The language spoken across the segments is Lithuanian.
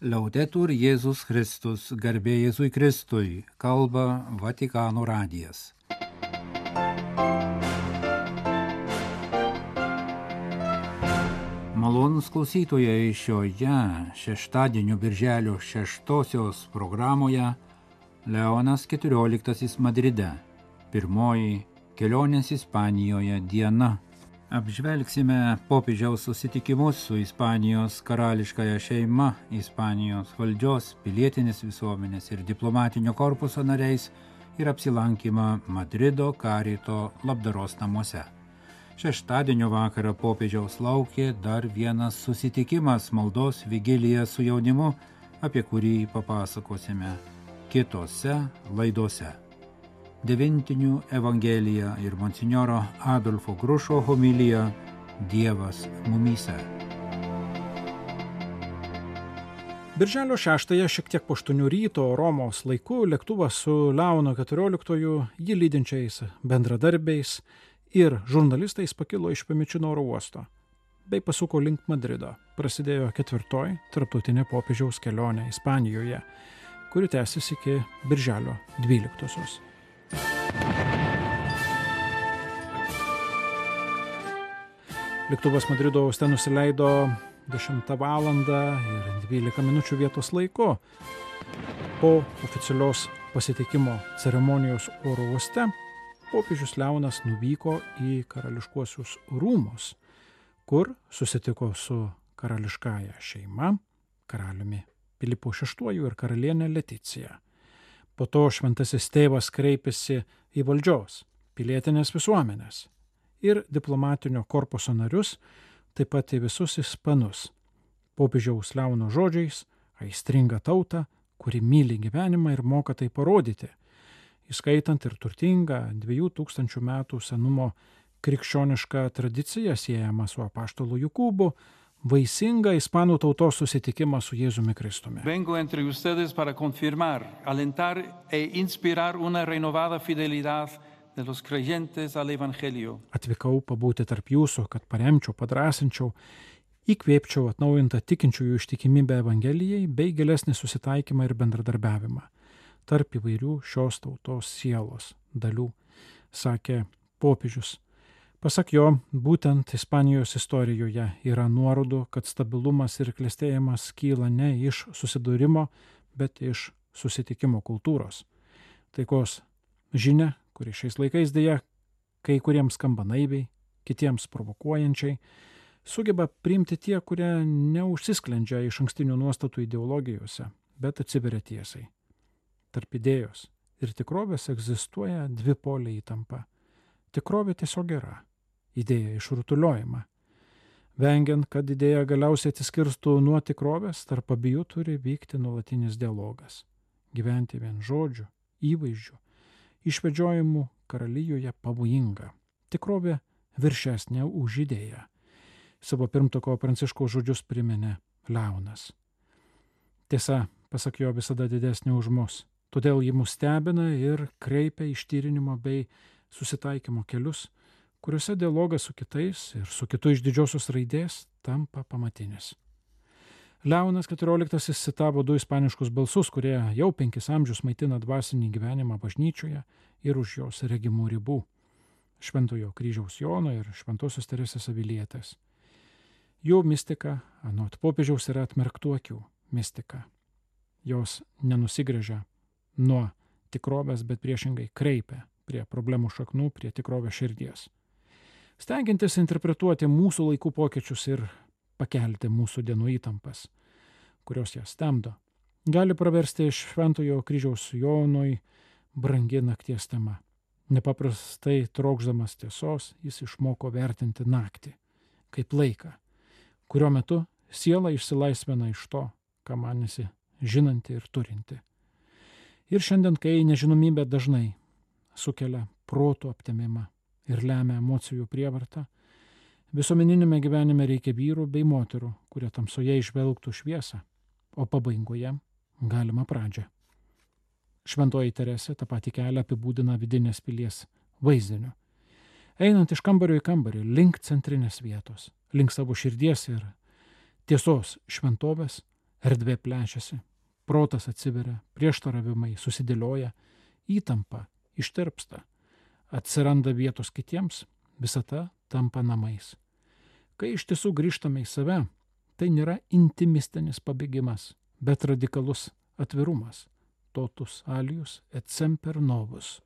Laudetur Jėzus Kristus, garbė Jėzui Kristui, kalba Vatikano radijas. Malonūs klausytojai, šioje šeštadienio birželio 6 programoje Leonas XIV Madride, pirmoji kelionės Ispanijoje diena. Apžvelgsime popiežiaus susitikimus su Ispanijos karališkąja šeima, Ispanijos valdžios, pilietinės visuomenės ir diplomatinio korpuso nariais ir apsilankymą Madrido Karito labdaros namuose. Šeštadienio vakarą popiežiaus laukė dar vienas susitikimas, maldos vigilija su jaunimu, apie kurį papasakosime kitose laidose. Devintinių Evangelija ir monsinjoro Adolfo Grušo homilija Dievas mumyse. Birželio 6-ąją šiek tiek po 8 ryto Romos laiku lėktuvas su Leonu XIV, jį lydinčiais bendradarbiais ir žurnalistais pakilo iš Pemičino oro uosto bei pasuko link Madrido. Prasidėjo 4. tarptautinė popiežiaus kelionė Ispanijoje, kuri tęsis iki birželio 12-osios. Lėktuvas Madrido uoste nusileido 10 valandą ir 12 minučių vietos laiku. Po oficialios pasitikimo ceremonijos oro uoste popiežius Leonas nuvyko į karališkuosius rūmus, kur susitiko su karališkąja šeima, karaliumi Pilypu VI ir karalienė Leticija. Po to šventasis tėvas kreipėsi į valdžios, pilietinės visuomenės ir diplomatinio korpuso narius, taip pat į visus ispanus. Popiežiaus Leono žodžiais aistringą tautą, kuri myli gyvenimą ir moka tai parodyti, įskaitant ir turtingą 2000 metų senumo krikščionišką tradiciją siejamą su apaštalo Jokūbu, vaisingą ispanų tautos susitikimą su Jėzumi Kristumi. Vengo entre ustedes para confirmar, alentar e inspirar una renovada fidelidad de los creyentes al Evangelio. Atvykau pabūti tarp jūsų, kad paremčiau, padrasinčiau, įkvėpčiau atnaujintą tikinčiųjų ištikimybę Evangelijai bei gilesnį susitaikymą ir bendradarbiavimą tarp įvairių šios tautos sielos dalių, sakė popiežius. Pasak jo, būtent Ispanijos istorijoje yra nuorodų, kad stabilumas ir klestėjimas kyla ne iš susidūrimo, bet iš susitikimo kultūros. Taikos žinia, kuri šiais laikais dėja kai kuriems skamba naiviai, kitiems provokuojančiai, sugeba priimti tie, kurie neužsisklendžia iš ankstinių nuostatų ideologijose, bet atsiveria tiesai. Tarp idėjos ir tikrovės egzistuoja dvipolė įtampa. Tikrovė tiesiog yra. Idėja išrutuliojama. Vengiant, kad idėja galiausiai atsiskirstų nuo tikrovės, tarp abiejų turi vykti nuolatinis dialogas. Gyventi vien žodžių, įvaizdžių, išvedžiojimų karalijoje pavojinga. Tikrovė viršesnė už idėją. Savo pirmtako Pranciškaus žodžius priminė Leonas. Tiesa, pasak jo, visada didesnė už mus. Todėl ji mus stebina ir kreipia ištyrinimo bei susitaikymo kelius, kuriuose dialogas su kitais ir su kitu iš didžiosios raidės tampa pamatinis. Leonas XIV citavo 2 ispaniškus balsus, kurie jau 5 amžius maitina dvasinį gyvenimą bažnyčioje ir už jos regimų ribų. Šventojo kryžiaus Jono ir Šventosios Teresės Avilietės. Jų mistika, anot popiežiaus, yra atmerktų akių mistika. Jos nenusigręžia nuo tikrovės, bet priešingai kreipia prie problemų šaknų, prie tikrovės širdies. Stengiantis interpretuoti mūsų laikų pokyčius ir pakelti mūsų dienų įtampas, kurios jas stemdo, gali praversti Šventojo kryžiaus Jonui brangi nakties tema. Nepaprastai trokšdamas tiesos, jis išmoko vertinti naktį kaip laiką, kurio metu siela išsilaisvina iš to, ką manėsi žinanti ir turinti. Ir šiandien, kai nežinomybė dažnai sukelia proto aptemimą ir lemia emocijų prievartą, visuomeninėme gyvenime reikia vyrų bei moterų, kurie tamsoje išvelgtų šviesą, o pabaigoje galima pradžią. Šventoji Teresė tą patį kelią apibūdina vidinės pilies vaizdiniu. Einant iš kambario į kambarį, link centrinės vietos, link savo širdies ir tiesos šventovės, erdvė plečiasi, protas atsiveria, prieštaravimai susidėlioja, įtampa ištirpsta, atsiranda vietos kitiems, visata tampa namais. Kai iš tiesų grįžtame į save, tai nėra intimistinis pabėgimas, bet radikalus atvirumas, totus alius et semper novus,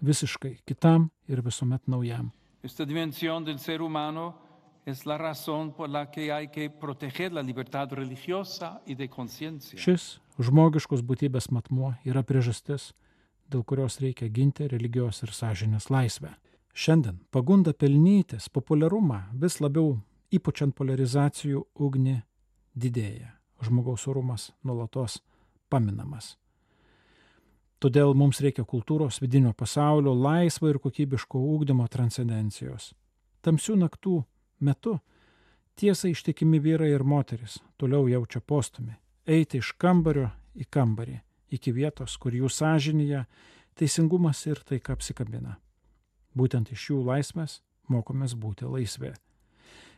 visiškai kitam ir visuomet naujam. Esta dimensión del ser humano es la razón por la que hay que proteger la libertad religiosa y de conciencia. Šis žmogiškos būtybės matmuo yra priežastis, dėl kurios reikia ginti religijos ir sąžinės laisvę. Šiandien pagunda pelnytis populiarumą vis labiau įpučiant polarizacijų ugnį didėja. Žmogaus orumas nuolatos paminamas. Todėl mums reikia kultūros, vidinio pasaulio, laisvo ir kokybiško ugdymo transcendencijos. Tamsių naktų metu tiesai ištikimi vyrai ir moteris toliau jaučia postumį eiti iš kambario į kambarį, iki vietos, kur jų sąžinėje teisingumas ir taika apsikabina. Būtent iš jų laisvės mokomės būti laisvi.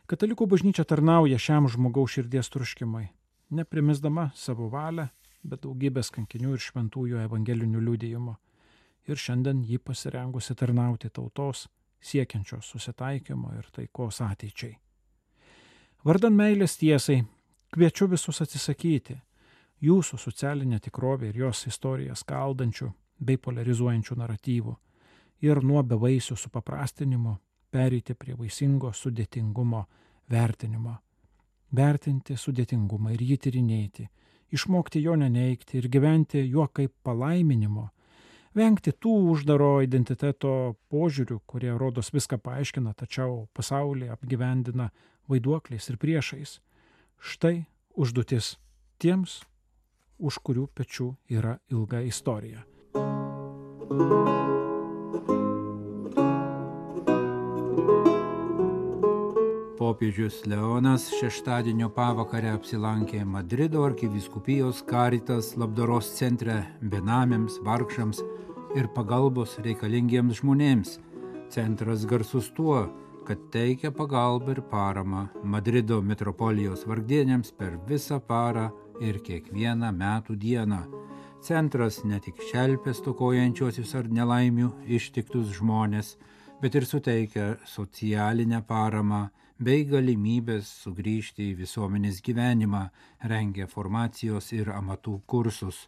Katalikų bažnyčia tarnauja šiam žmogaus širdies troškimui, neprimesdama savo valią, bet daugybės kankinių ir šventųjų evangelinių liudijimų. Ir šiandien jį pasirengusi tarnauti tautos, siekiančios susitaikymo ir taikos ateičiai. Vardan meilės tiesai kviečiu visus atsisakyti jūsų socialinę tikrovę ir jos istoriją skaldančių bei polarizuojančių naratyvų ir nuo bevaisių supaprastinimo pereiti prie vaisingo sudėtingumo vertinimo. Vertinti sudėtingumą ir jį tyrinėti, išmokti jo neneigti ir gyventi juo kaip palaiminimo, vengti tų uždaro identiteto požiūrių, kurie rodos viską paaiškina, tačiau pasaulį apgyvendina vaiduokliais ir priešais. Štai užduotis tiems, už kurių pečių yra ilga istorija. Popiežius Leonas šeštadienio pavakarę apsilankė Madrido arkivyskupijos Caritas labdaros centre benamiams, vargšams ir pagalbos reikalingiems žmonėms. Centras garsus tuo, kad teikia pagalbą ir paramą Madrido metropolijos vargdieniams per visą parą ir kiekvieną metų dieną. Centras ne tik šelpia stokojančiuosius ar nelaimių ištiktus žmonės, bet ir suteikia socialinę paramą bei galimybės sugrįžti į visuomenės gyvenimą, rengia formacijos ir amatų kursus.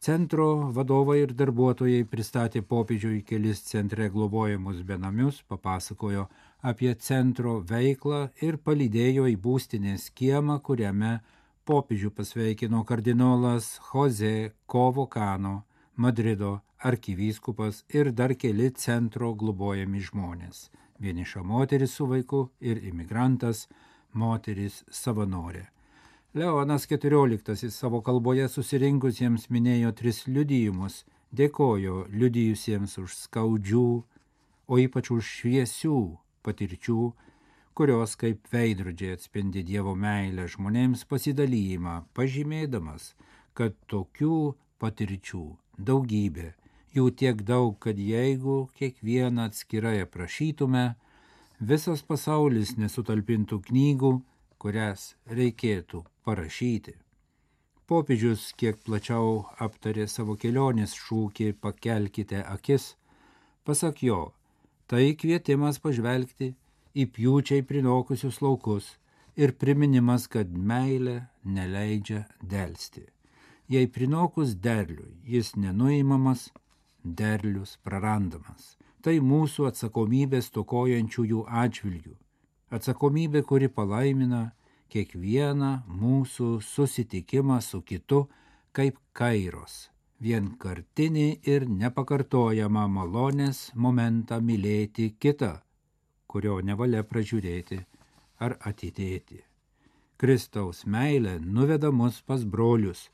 Centro vadovai ir darbuotojai pristatė popiežiui kelis centre globojamus benamius, papasakojo apie centro veiklą ir palydėjo į būstinės kiemą, kuriame popiežių pasveikino kardinolas Jose Covocano, Madrido arkivyskupas ir dar keli centro globojami žmonės. Vieniša moteris su vaiku ir imigrantas, moteris savanorė. Leonas XIV savo kalboje susirinkusiems minėjo 3 liudijimus, dėkojo liudijusiems už skaudžių, o ypač už šviesių patirčių, kurios kaip veidrodžiai atspindi Dievo meilę žmonėms pasidalijimą, pažymėdamas, kad tokių patirčių daugybė, jų tiek daug, kad jeigu kiekvieną atskirai aprašytume, visas pasaulis nesutalpintų knygų, kurias reikėtų parašyti. Popiežius kiek plačiau aptarė savo kelionės šūkį "Pakelkite akis". Pasak jo, tai kvietimas pažvelgti į pjūčiai prinokusius laukus ir priminimas, kad meilė neleidžia delsti. Jei prinokus derliui jis nenuimamas, derlius prarandamas. Tai mūsų atsakomybė stokojančiųjų atžvilgių. Atsakomybė, kuri palaimina kiekvieną mūsų susitikimą su kitu kaip kairos, vienkartinį ir nepakartojamą malonės momentą mylėti kitą, kurio nevalia pražiūrėti ar atidėti. Kristaus meilė nuveda mus pas brolius,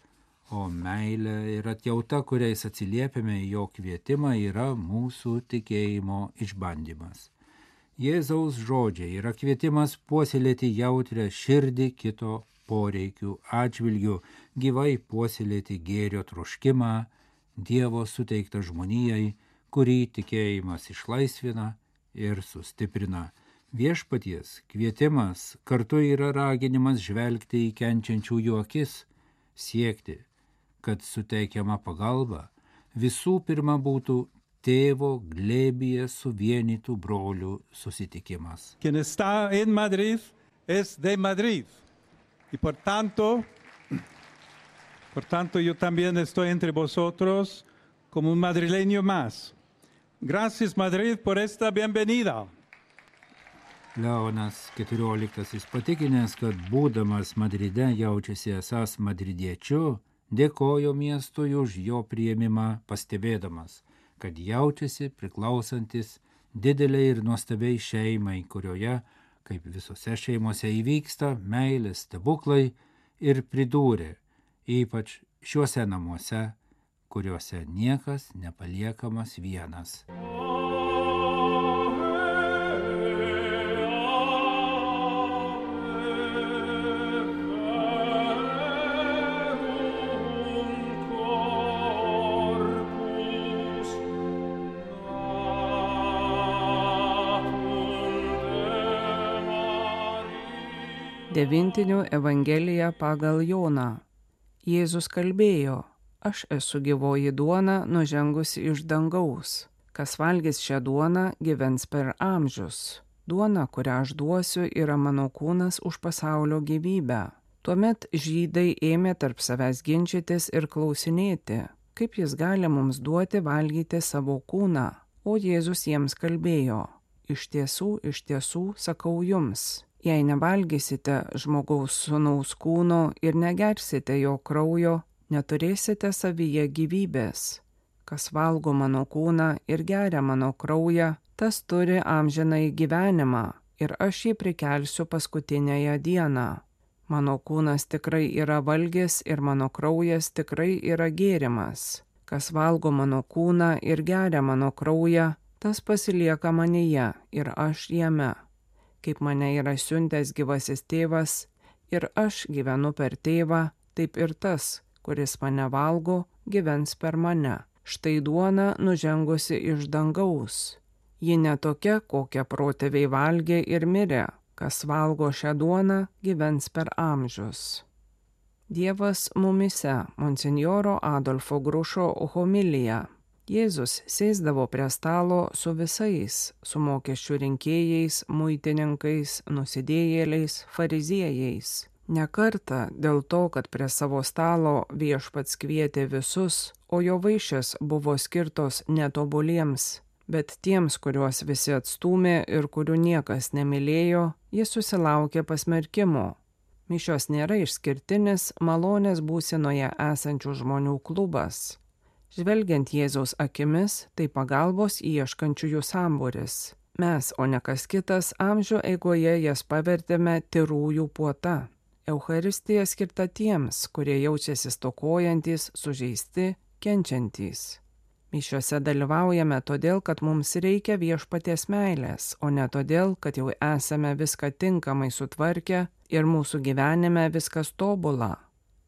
o meilė ir atjauta, kuriais atsiliepiame į jo kvietimą, yra mūsų tikėjimo išbandymas. Jėzaus žodžiai yra kvietimas puoselėti jautrią širdį kito poreikių atžvilgių, gyvai puoselėti gėrio troškimą, Dievo suteiktą žmonijai, kurį tikėjimas išlaisvina ir sustiprina. Viešpaties kvietimas kartu yra raginimas žvelgti į kenčiančiųjų akis siekti, kad suteikiama pagalba visų pirma būtų tėvo glėbyje suvienytų brolių susitikimas. Quien está en Madrid es de Madrid. Y por tanto, yo también estoy entre vosotros como un madrileño más. Gracias, Madrid, por esta bienvenida. Leonas XIV patikinęs, kad būdamas Madride jaučiasi esąs madridiečiu, dėkojo miestui už jo priėmimą, pastebėdamas, kad jaučiasi priklausantis dideliai ir nuostabiai šeimai, kurioje, kaip visose šeimose, įvyksta meilės stebuklai, ir pridūrė, ypač šiuose namuose, kuriuose niekas nepaliekamas vienas. Devintinių Evangelija pagal Joną. Jėzus kalbėjo, aš esu gyvoji duona nužengusi iš dangaus. Kas valgys šią duoną, gyvens per amžius. Duona, kurią aš duosiu, yra mano kūnas už pasaulio gyvybę. Tuomet žydai ėmė tarp savęs ginčytis ir klausinėti, kaip jis gali mums duoti valgyti savo kūną. O Jėzus jiems kalbėjo, iš tiesų, sakau jums. Jei nevalgysite žmogaus sūnaus kūno ir negersite jo kraujo, neturėsite savyje gyvybės. Kas valgo mano kūną ir geria mano kraują, tas turi amžinąjį gyvenimą ir aš jį prikelsiu paskutinėje dieną. Mano kūnas tikrai yra valgis ir mano kraujas tikrai yra gėrimas. Kas valgo mano kūną ir geria mano kraują, tas pasilieka manyje ir aš jame. Kaip mane yra siuntęs gyvasis tėvas ir aš gyvenu per tėvą, taip ir tas, kuris mane valgo, gyvens per mane. Štai duona nužengusi iš dangaus. Ji ne tokia, kokią protėviai valgė ir mirė. Kas valgo šią duoną, gyvens per amžius. Dievas mumyse. Monsinjoro Adolfo Grušo homilija. Jėzus sėsdavo prie stalo su visais, su mokesčių rinkėjais, muitininkais, nusidėjėliais, fariziejais. Ne kartą dėl to, kad prie savo stalo viešpats kvietė visus, o jo vaišės buvo skirtos netobuliems, bet tiems, kuriuos visi atstūmė ir kurių niekas nemylėjo, jis susilaukė pasmerkimo. Mišios nėra išskirtinis malonės būsenoje esančių žmonių klubas. Žvelgiant Jėzaus akimis, tai pagalbos ieškančiųjų sambūris. Mes, o ne kas kitas, amžių eigoje jas pavertėme tyrųjų puota. Eucharistija skirta tiems, kurie jaučiasi stokojantys, sužeisti, kenčiantys. Mišiose dalyvaujame todėl, kad mums reikia viešpaties meilės, o ne todėl, kad jau esame viską tinkamai sutvarkę ir mūsų gyvenime viskas tobula.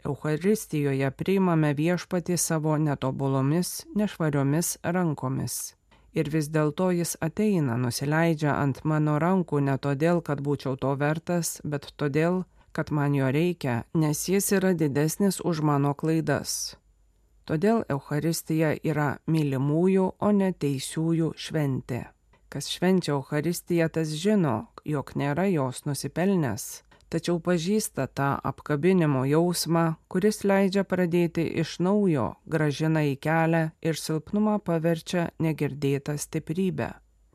Eucharistijoje priimame viešpatį savo netobulomis, nešvariomis rankomis. Ir vis dėlto jis ateina, nusileidžia ant mano rankų ne todėl, kad būčiau to vertas, bet todėl, kad man jo reikia, nes jis yra didesnis už mano klaidas. Todėl Eucharistija yra mylimųjų, o ne teisiųjų šventė. Kas švenčia Eucharistiją, tas žino, jog nėra jos nusipelnęs, tačiau pažįsta tą apkabinimo jausmą, kuris leidžia pradėti iš naujo, gražina į kelią ir silpnumą paverčia negirdėtą stiprybę.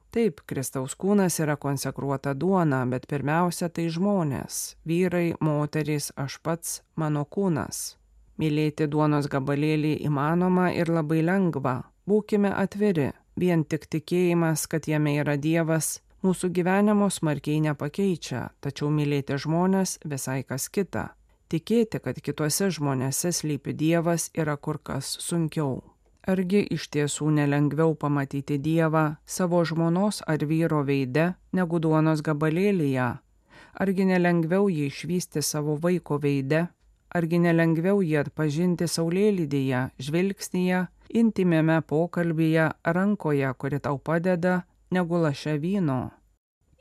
Taip, Kristaus kūnas yra konsekruota duona, bet pirmiausia tai žmonės, vyrai, moterys, aš pats, mano kūnas. Mylėti duonos gabalėlį įmanoma ir labai lengva. Būkime atviri, vien tik tikėjimas, kad jame yra Dievas, mūsų gyvenimo smarkiai nepakeičia, tačiau mylėti žmonės visai kas kita. Tikėti, kad kituose žmonėse slypi Dievas, yra kur kas sunkiau. Argi iš tiesų nelengviau pamatyti Dievą savo žmonos ar vyro veide negu duonos gabalėlyje? Argi nelengviau jį išvysti savo vaiko veide? Argi nelengviau jį atpažinti saulėlydyje, žvilgsnyje, intymiame pokalbyje, rankoje, kuri tau padeda, negu laše vyno?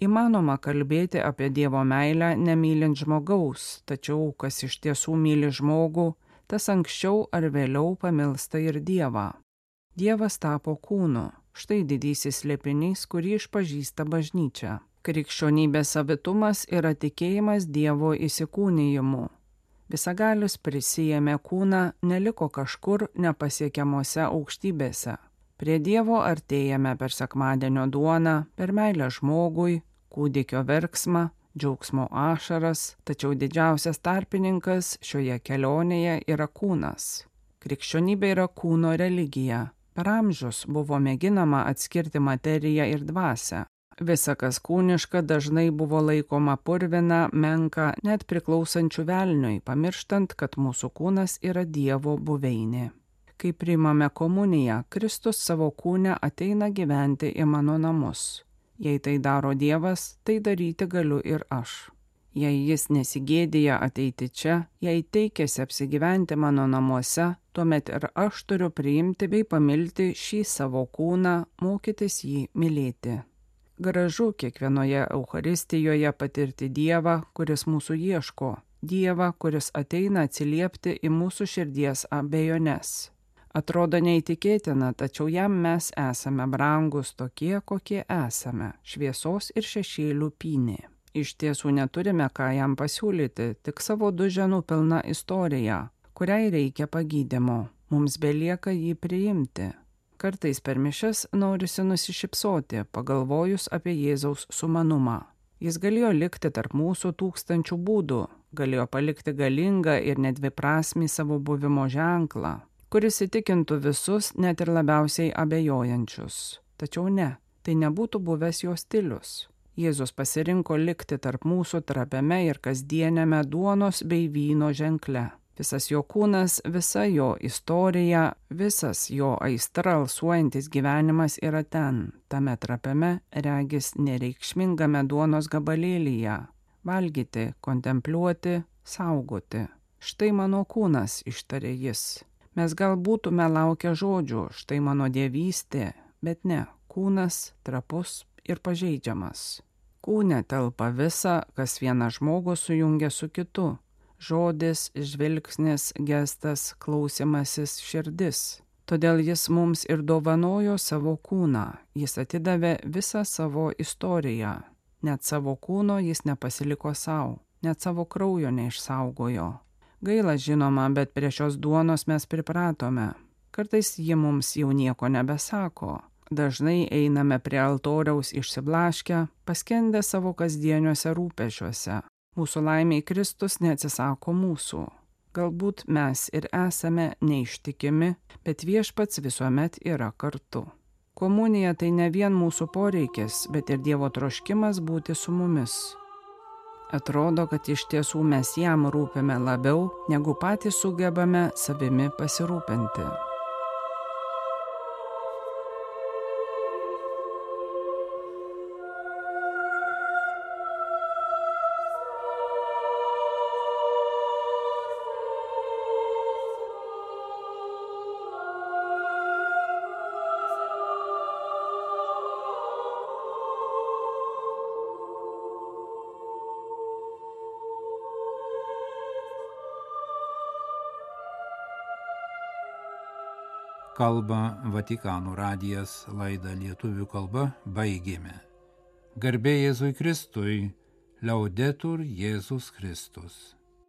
Įmanoma kalbėti apie Dievo meilę nemylint žmogaus, tačiau kas iš tiesų myli žmogų, tas anksčiau ar vėliau pamilsta ir Dievą. Dievas tapo kūnu, štai didysis slėpinys, kurį išpažįsta bažnyčia. Krikščionybės savitumas yra tikėjimas Dievo įsikūnijimu. Visagalis prisijėmė kūną, neliko kažkur nepasiekiamose aukštybėse. Prie Dievo artėjame per sekmadienio duoną, per meilę žmogui, kūdikio verksmą, džiaugsmo ašaras, tačiau didžiausias tarpininkas šioje kelionėje yra kūnas. Krikščionybė yra kūno religija. Per amžius buvo mėginama atskirti materiją ir dvasią. Visa, kas kūniška, dažnai buvo laikoma purvina, menka, net priklausančių velniui, pamirštant, kad mūsų kūnas yra Dievo buveinė. Kai priimame komuniją, Kristus savo kūne ateina gyventi į mano namus. Jei tai daro Dievas, tai daryti galiu ir aš. Jei jis nesigėdija ateiti čia, jei teikėsi apsigyventi mano namuose, tuomet ir aš turiu priimti bei pamilti šį savo kūną, mokytis jį mylėti. Gražu kiekvienoje Eucharistijoje patirti Dievą, kuris mūsų ieško, Dievą, kuris ateina atsiliepti į mūsų širdies abejones. Atrodo neįtikėtina, tačiau jam mes esame brangus tokie, kokie esame, šviesos ir šešėlių pynė. Iš tiesų neturime ką jam pasiūlyti, tik savo duženų pilną istoriją, kuriai reikia pagydymo. Mums belieka jį priimti. Kartais per mišias norisi nusišypsoti, pagalvojus apie Jėzaus sumanumą. Jis galėjo likti tarp mūsų tūkstančių būdų, galėjo palikti galingą ir nedviprasmį savo buvimo ženklą, kuris įtikintų visus, net ir labiausiai abejojančius. Tačiau ne, tai nebūtų buvęs jo stilius. Jėzus pasirinko likti tarp mūsų trapiame ir kasdienėme duonos bei vyno ženkle. Visas jo kūnas, visa jo istorija, visas jo aistra alsuojantis gyvenimas yra ten, tame trapiame, regis nereikšmingame duonos gabalėlyje. Valgyti, kontempliuoti, saugoti. Štai mano kūnas, ištarė jis. Mes gal būtume laukę žodžių, štai mano dievystė, bet ne, kūnas trapus ir pažeidžiamas. Kūne telpa visa, kas vieną žmogų sujungia su kitu. Žodis, žvilgsnis, gestas, klausimasis, širdis. Todėl jis mums ir dovanojo savo kūną, jis atidavė visą savo istoriją. Net savo kūno jis nepasiliko savo, net savo kraujo neišsaugojo. Gaila žinoma, bet prie šios duonos mes pripratome. Kartais ji mums jau nieko nebesako. Dažnai einame prie altoriaus išsiblaškę, paskendę savo kasdieniuose rūpešiuose. Mūsų laimiai Kristus neatsisako mūsų. Galbūt mes ir esame neištikimi, bet viešpats visuomet yra kartu. Komunija tai ne vien mūsų poreikis, bet ir Dievo troškimas būti su mumis. Atrodo, kad iš tiesų mes jam rūpime labiau, negu patys sugebame savimi pasirūpinti. Kalba Vatikano radijas, laidą lietuvių kalba baigėme. Garbė Jėzui Kristui, Liaudetur Jėzus Kristus.